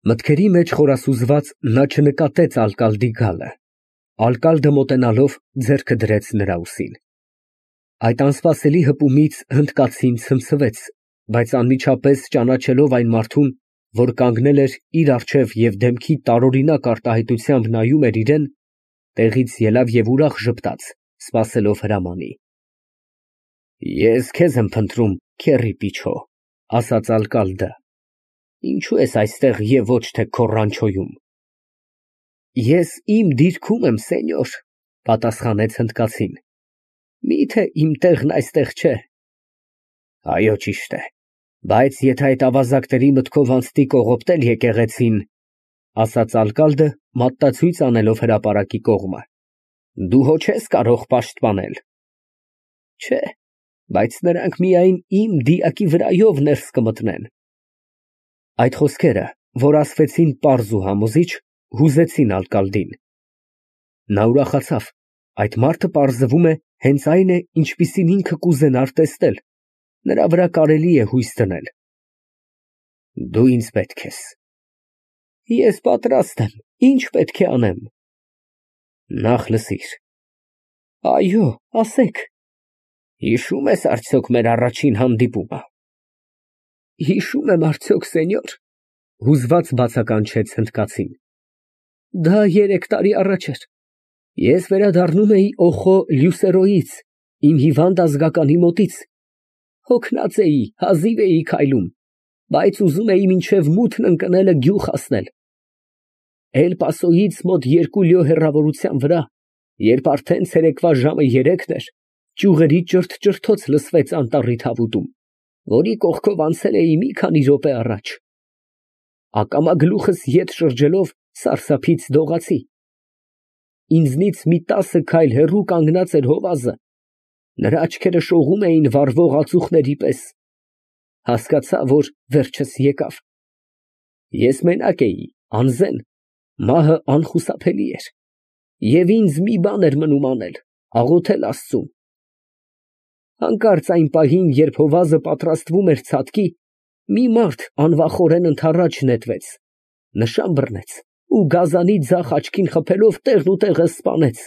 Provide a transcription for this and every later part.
Մտքերի մեջ խորասուզված նա չնկատեց ալկալդի գալը։ Ալկալդը մոտենալով ձեռքը դրեց նրա ուսին։ Այդ անսպասելի հպումից հնդկացին ցնցվեց, բայց անմիջապես ճանաչելով այն մարդուն, որ կանգնել էր իր առջև և դեմքի տարօրինակ արտահայտությամբ նայում էր իրան, տեղից ելավ և ուրախ ժպտաց, սպասելով հրամանի։ Ես քեզ եմ փնտրում, քեռի պիչո, ասաց ալկալդը, ինչու ես այստեղ և ոչ թե քո ռանչոյում։ Ես իմ դիրքում եմ, սենյոր, պատասխանեց հնդկացին, միթե իմ տեղն այստեղ չէ։ Այո, ճիշտ է, բայց եթե այդ ավազակների մտքով անցնի կողոպտել եկեղեցին, ասաց ալկալդը, մատնացույց անելով հրապարակի կողմը, դու հո չես կարող պաշտպանել։ Չէ, բայց նրանք միայն իմ դիակի վրայով ներս կմտնեն։ Այդ խոսքերը, որ ասվեցին պարզ ու համոզիչ, հուզեցին ալկալդին։ Նա ուրախացավ, այդ մարդը պարզվում է հենց այն է, ինչպիսին ինքը կուզենար տեսնել, նրա վրա կարելի է հույս դնել։ Դու ինձ պետք ես։ Ես պատրաստ եմ, ինչ պետք է անեմ։ Նախ լսիր։ Այո, ասեք։ Հիշո՞ւմ ես արդյոք մեր առաջին հանդիպումը։ Հիշում եմ արդյոք, սենյոր, հուզված բացականչեց հնդկացին։ Դա 3 տարի առաջ էր։ Ես վերադառնում էի Օխո Լյուսերոյից, իմ հիվանդ ազգականի մոտից։ Հոգնած էի, հազիվ էի քայլում, բայց ուզում էի մինչև մութն ընկնելը գյուղ հասնել։ Էլ Պասոյից մոտ 2 լյո հեռավորության վրա, երբ արդեն ցերեկվա ժամը 3-ն էր, ճյուղերի ճրթ֊ճրթոց լսվեց անտառի թավուտում, որի կողքով անցել էի մի քանի րոպե առաջ։ Ակամա գլուխս ետ շրջելով սարսափից դողացի։ Ինձնից մի 10 քայլ հեռու կանգնած էր հովազը, նրա աչքերը շողում էին վառվող ածուխների պես։ Հասկացա, որ վերջս եկավ։ Ես մենակ էի, անզեն, մահը անխուսափելի էր, և ինձ մի բան էր մնում անել, աղոթել Աստծուն։ Հանկարծ այն պահին, երբ հովազը պատրաստվում էր ցատկի, մի մարդ անվախորեն ընդառաջ նետվեց, նշան բռնեց ու գազանի ձախ աչքին խփելով տեղն ու տեղը սպանեց։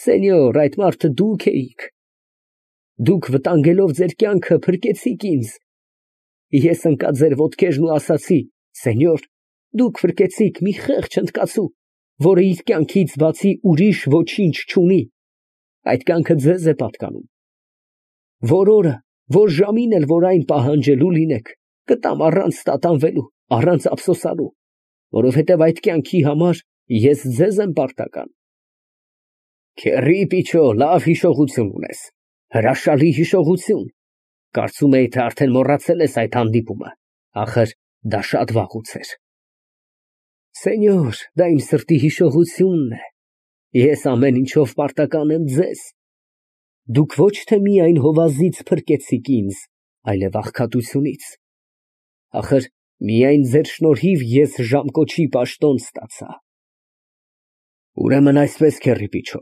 Սենյոր, այդ մարդը դուք էիք։ Դուք վտանգելով ձեր կյանքը փրկեցիք ինձ։ Ես ընկա ձեր ոտքերն ու ասացի. Սենյոր, դուք փրկեցիք մի խեղճ հնդկացու, որը իր կյանքից բացի ուրիշ ոչինչ չունի։ Այդ կյանքը ձեզ է պատկանում։ Որ օրը, որ ժամին էլ որ այն պահանջելու լինեք, կտամ առանց տատանվելու, առանց ափսոսանալու, որովհետև այդ կյանքի համար ես ձեզ եմ պարտական։ Քեռի պիչո, լավ հիշողություն ունես, հրաշալի հիշողություն։ Կարծում էի, թե արդեն մոռացել ես այդ հանդիպումը, ախր դա շատ վաղուց էր։ Սենյոր, դա իմ սրտի հիշողությունն է։ Ես ամեն ինչով պարտական եմ ձեզ։ Դուք ոչ թե միայն հովազից փրկեցիք ինձ, այլև աղքատությունից։ Ախր միայն ձեր շնորհիվ ես ժամկոչի պաշտոն ստացա։ Ուրեմն այսպես, քեռի պիչո,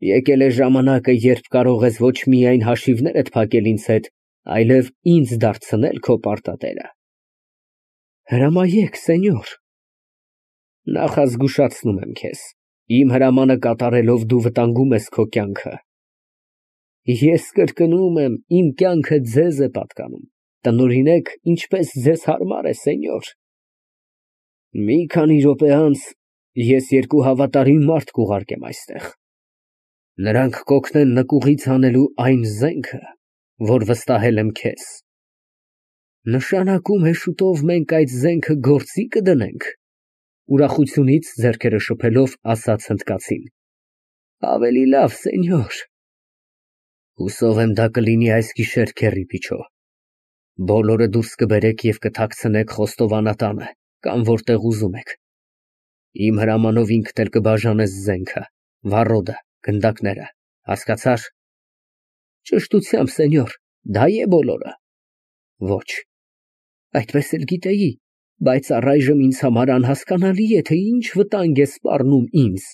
եկել է ժամանակը, երբ կարող ես ոչ միայն հաշիվներդ փակել ինձ հետ, այլև ինձ դարձնել քո պարտատերը։ Հրամայեք, սենյոր։ Նախազգուշացնում եմ քեզ, իմ հրամանը կատարելով դու վտանգում ես քո կյանքը։ Ես կրկնում եմ, իմ կյանքը ձեզ է պատկանում, տնօրինեք, ինչպես ձեզ հարմար է, սենյոր։ Մի քանի րոպե անց ես 2 հավատարիմ մարդ կուղարկեմ այստեղ։ Նրանք կօգնեն նկուղից հանելու այն զենքը, որ վստահել եմ քեզ։ Նշանակում է շուտով մենք այդ զենքը գործի կդնենք, ուրախությունից ձեռքերը շփելով ասաց հնդկացին։ Ավելի լավ, սենյոր։ Հուսով եմ դա կլինի այս գիշեր, քեռի պիչո։ Բոլորը դուրս կբերեք և կթաքցնեք խոստովանատանը, կամ որտեղ ուզում եք։ Իմ հրամանով ինքդ էլ կբաժանես զենքը, վառոդը, գնդակները, հասկացա՞ր։ Ճշտությամբ, սենյոր, դա է բոլորը։ Ոչ, այդպես էլ գիտեի, բայց առայժմ ինձ համար անհասկանալի է, թե ինչ վտանգ է սպառնում ինձ։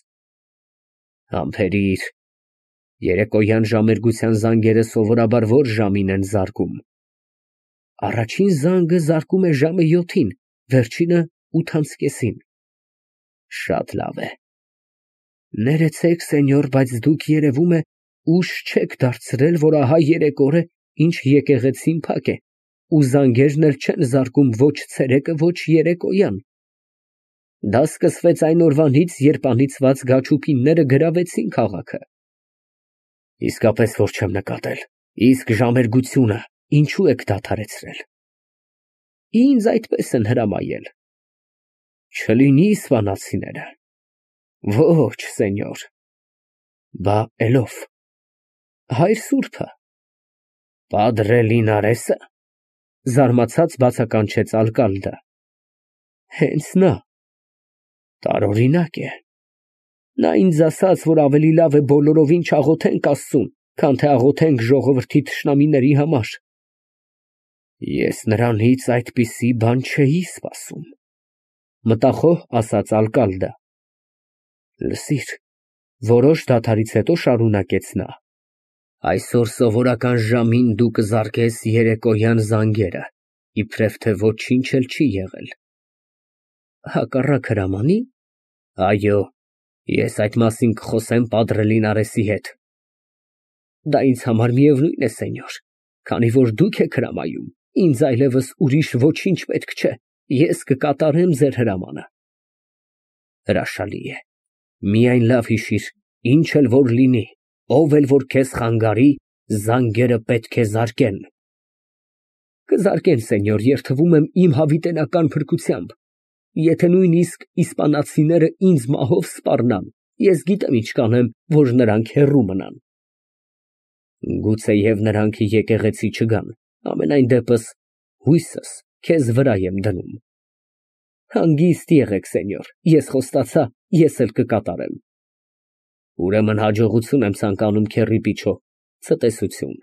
Համբերիր, երեկոյան ժամերգության զանգերը սովորաբար որ ժամին են զարկում։ Առաջին զանգը զարկում է ժամը 7-ին, վերջինը 8:30-ին։ Շատ լավ է։ Ներեցեք, սենյոր, բայց դուք երևում է ուշ չեք դարձրել, որ ահա 3 օր է, ինչ եկեղեցին փակ է, ու զանգերն էլ չեն զարկում ոչ ցերեկը, ոչ երեկոյան։ Դա սկսվեց այն օրվանից, երբ անիծված գաչուկինները գրավեցին քաղաքը։ Իսկապես որ չեմ նկատել, իսկ ժամերգությունը ինչու եք դադարեցրել։ Ինձ այդպես են հրամայել։ Չլինի իսպանացիները։ Ոչ, սենյոր։ Բա էլով։ Հայր սուրբը։ Падրե Լինարեսը, զարմացած բացականչեց ալկալդը։ Հենց նա։ Տարօրինակ է։ Նա ինձ ասաց, որ ավելի լավ է բոլորովին չաղոթենք Աստծուն, քան թե աղոթենք ժողովրդի թշնամիների համար։ Ես նրանից այդպիսի բան չէի սպասում, մտախոհ ասաց ալկալդը։ Լսիր, որոշ դադարից հետո շարունակեց նա. Այսօր սովորական ժամին դու կզարկես երեկոյան զանգերը, իբրև թե ոչինչ էլ չի եղել։ Հակառակ հրամանի։ Այո, ես այդ մասին կխոսեմ Падրե Լինարեսի հետ։ Դա ինձ համար միևնույն է, սենյոր, քանի որ դուք եք հրամայում, ինձ այլևս ուրիշ ոչինչ պետք չէ, ես կկատարեմ ձեր հրամանը։ Հրաշալի է, միայն լավ հիշիր, ինչ էլ որ լինի, ով էլ որ քեզ խանգարի, զանգերը պետք է զարկեն։ Կզարկեն, սենյոր, երդվում եմ իմ հավիտենական փրկությամբ։ Եթե նույնիսկ իսպանացիները ինձ մահով սպառնան, ես գիտեմ ինչ կանեմ, որ նրանք հեռու մնան։ Գուցեև նրանք եկեղեցի չգան, ամենայն դեպս հույսս քեզ վրա եմ դնում։ Հանգիստ եղեք, սենյոր, ես խոստացա, ես էլ կկատարեմ։ Ուրեմն հաջողություն եմ ցանկանում, քեռի պիչո, ցտեսություն։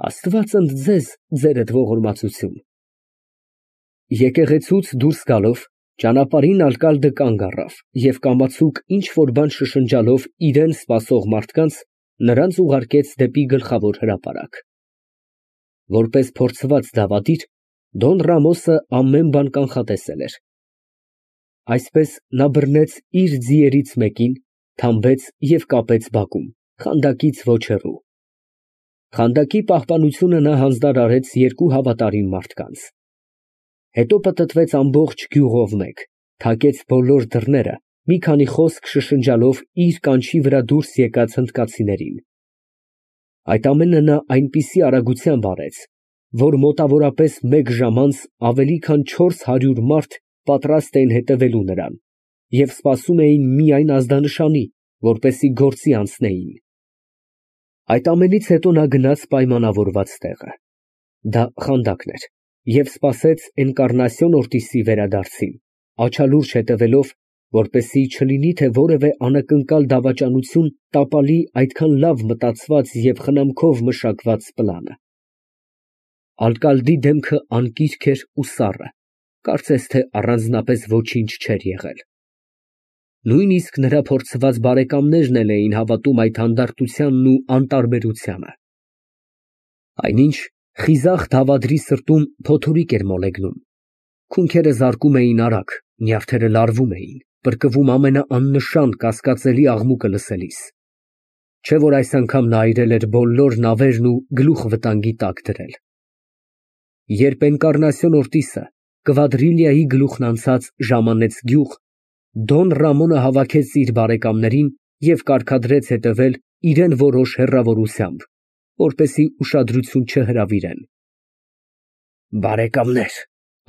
Աստված ընդ ձեզ ձերդ ողորմածություն։ Եկեղեցուց դուրս գալով, ճանապարհին ալկալդը կանգ առավ և կամացուկ ինչ որ բան շշնջալով իրան սպասող մարդկանց, նրանց ուղարկեց դեպի գլխավոր հրապարակ։ Որպես փորձված դավադիր, Դոն Ռամոսը ամեն բան կանխատեսել էր։ Այսպես նա բռնեց իր ձիերից մեկին, թամբեց և կապեց բակում, խանդակից ոչ հեռու։ Խանդակի պահպանությունը նա հանձնարարեց 2 հավատարիմ մարդկանց։ Հետո պտտվեց ամբողջ գյուղով մեկ, թակեց բոլոր դռները, մի քանի խոսք շշնջալով իր կանչի վրա դուրս եկած հնդկացիներին։ Այդ ամենը նա այնպիսի արագությամբ արեց, որ մոտավորապես 1 ժամ անց ավելի քան 400 մարդ պատրաստ էին հետևելու նրան և սպասում էին միայն ազդանշանի, որպեսզի գործի անցնեին։ Այդ ամենից հետո նա գնաց պայմանավորված տեղը։ Դա խանդակն էր և սպասեց Էնկառնասիոն Օրտիսի վերադարձին, աչալուրջ հետևելով, որպեսզի չլինի, թե որևէ անակնկալ դավաճանություն տապալի այդքան լավ մտածված և խնամքով մշակված պլանը։ Ալկալդի դեմքը անկիրք էր ու սառը, կարծես թե առանձնապես ոչինչ չէր եղել։ Նույնիսկ նրա փորձված բարեկամներն էլ էին հավատում այդ հանդարտությանն ու անտարբերությանը։ Այնինչ խիզախ դավադրի սրտում փոթորիկ էր մոլեգնում։ Քունքերը զարկում էին արագ, նյարդերը լարվում էին, պրկվում ամենաաննշան կասկածելի աղմուկը լսելիս։ Չէ որ այս անգամ նա այրել էր բոլոր նավերն ու գլուխ վտանգի տակ դրել։ Երբ Էնկառնասիոն Օրտիսը Կվադրիլիայի գլուխն անցած ժամանեց գյուղ, Դոն Ռամոնը հավաքեց իր բարեկամներին և կարգադրեց հետևել իրան որոշ հեռավորությամբ, որպեսզի ուշադրություն չհրավիրեն։ Բարեկամներ,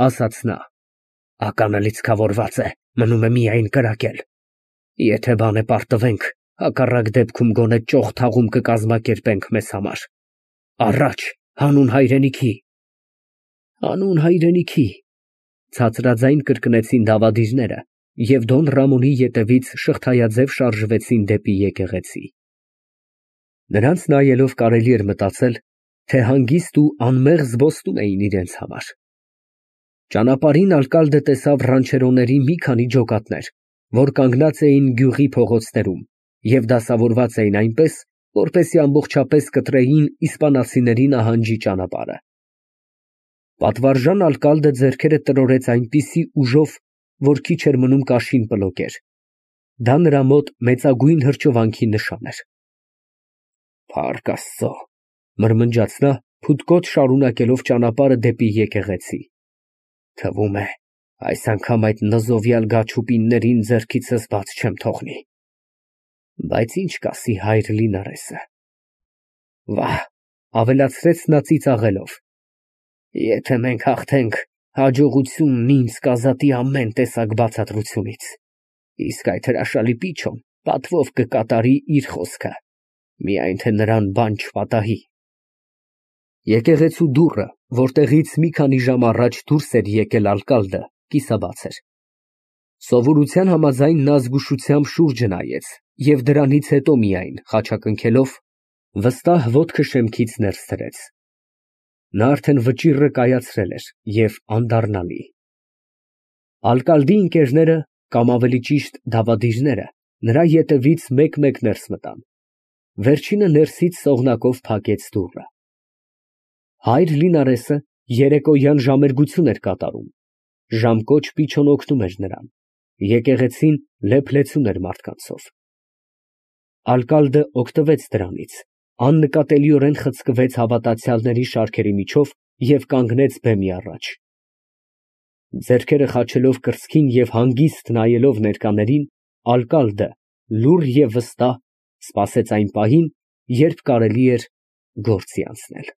ասաց նա, ականը լիցքավորված է, մնում է միայն կրակել։ Եթե բան է պարտվենք, հակառակ դեպքում գոնե ճոխ թաղում կկազմակերպենք մեզ համար։ Առաջ, հանուն հայրենիքի։ Հանուն հայրենիքի, ցածրաձայն կրկնեցին դավադիրները և Դոն Ռամոնի ետևից շղթայաձև շարժվեցին դեպի եկեղեցի։ Նրանց նայելով կարելի էր մտածել, թե հանգիստ ու անմեղ զբոսնում էին իրենց համար։ Ճանապարհին ալկալդը տեսավ ռանչերոների մի քանի ջոկատներ, որ կանգնած էին գյուղի փողոցներում և դասավորված էին այնպես, որպեսզի ամբողջապես կտրեին իսպանացիների նահանջի ճանապարհը։ Պատվարժան ալկալդը ձեռքերը տրորեց այնպիսի ուժով, որ քիչ էր մնում կաշին պլոկեր։ Դա նրա մոտ մեծագույն հրճվանքի նշան էր։ Փառք Աստծո, մրմնջաց նա, փութկոտ շարունակելով ճանապարհը դեպի եկեղեցի։ Թվում է, այս անգամ այդ նզովյալ գաչուպիններին ձեռքիցս բաց չեմ թողնի։ Բայց ինչ կասի հայր Լինարեսը։ Վահ, ավելացրեց նա ծիծաղելով, եթե մենք հաղթենք, հաջողությունն ինձ կազատի ամեն տեսակ բացատրությունից, իսկ այդ հրաշալի պիչոն պատվով կկատարի իր խոսքը, միայն թե նրան բան չպատահի։ Եկեղեցու դուռը, որտեղից մի քանի ժամ առաջ դուրս էր եկել ալկալդը, կիսաբաց էր։ Սովորության համաձայն նա զգուշությամբ շուրջը նայեց և դրանից հետո միայն, խաչակնքելով, վստահ ոտքը շեմքից ներս դրեց։ Նա արդեն վճիռը կայացրել էր և անդառնալի։ Ալկալդի ընկերները, կամ ավելի ճիշտ դավադիրները, նրա ետևից մեկ֊մեկ ներս մտան։ Վերջինը ներսից սողնակով փակեց դուռը։ Հայր Լինարեսը երեկոյան ժամերգություն էր կատարում։ Ժամկոչ պիչոն օգնում էր նրան։ Եկեղեցին լեփ֊լեցուն էր մարդկանցով։ Ալկալդը օգտվեց դրանից, աննկատելիորեն խցկվեց հավատացյալների շարքերի միջով և կանգնեց բեմի առաջ։ Ձեռքերը խաչելով կրծքին և հանգիստ նայելով ներկաներին, ալկալդը, լուռ և վստահ, սպասեց այն պահին, երբ կարելի էր գործի անցնել։